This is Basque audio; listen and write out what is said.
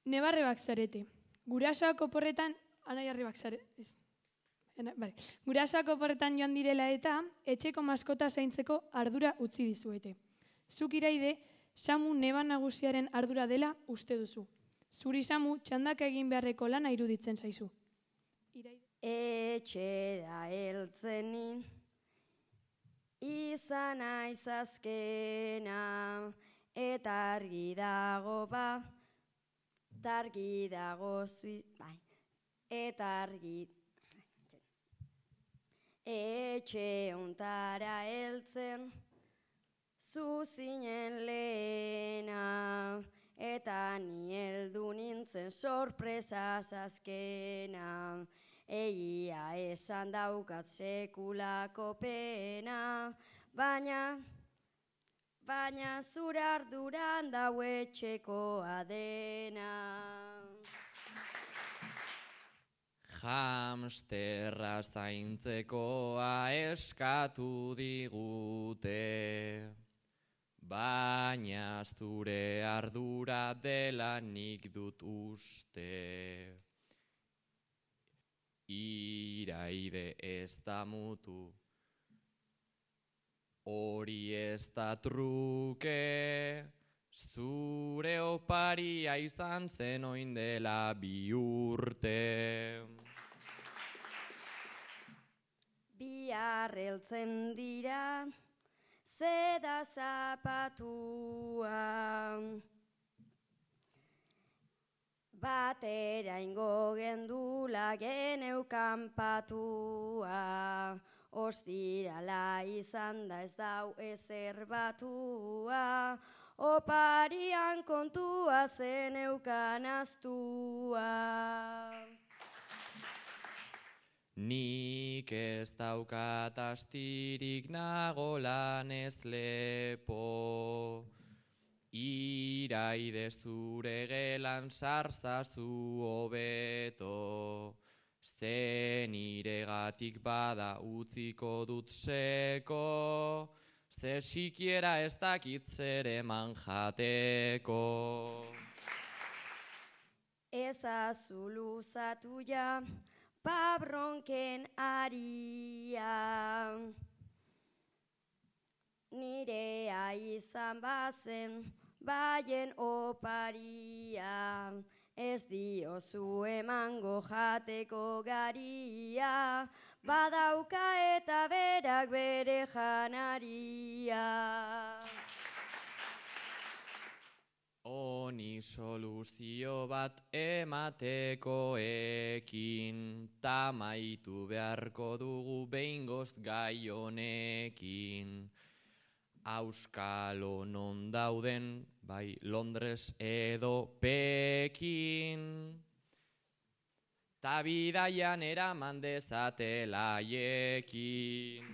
Nebarrebak zarete. Gurasoak oporretan, anaiarrebak zarete. Gurasoak oporretan joan direla eta etxeko maskota zaintzeko ardura utzi dizuete. Zuk Iraide, Samu neba nagusiaren ardura dela uste duzu. Zuri Samu txandaka egin beharreko lana iruditzen zaizu. Etxera heltzenin izan aizazkena eta argi dago eta argi etxe untara heltzen zu zinen lehena eta ni heldu nintzen sorpresa azkena. Egia esan daukat sekulako pena, baina zure arduran dau etxekoa dena. Hamsterra zaintzekoa eskatu digute, baina zure ardura dela nik dut uste. Iraide ez da mutu, hori ez da truke, zure oparia izan zen oin dela 2 urte. Bihar heltzen dira, zeda zapatua, batera ingo gendula geneukan patua, ostirala izan da ez dau ezer batua, oparian kontua zeneukan aztua. Nik ez daukat astirik nago lanez lepo, Iraide zure gelan sarzazu hobeto, ze niregatik bada utziko dut seko, ze sikiera ez dakit zer eman jateko. Ezazu luzatu ja, pabronken aria, nirea izan bazen, baien oparia, ez diozu emango jateko garia, badauka eta berak bere janaria. Honi soluzio bat emateko ekin, tamaitu beharko dugu behingoz gai honekin. Auskalo non dauden, bai Londres edo Pekin, ta bidaian eraman dezatela haiekin.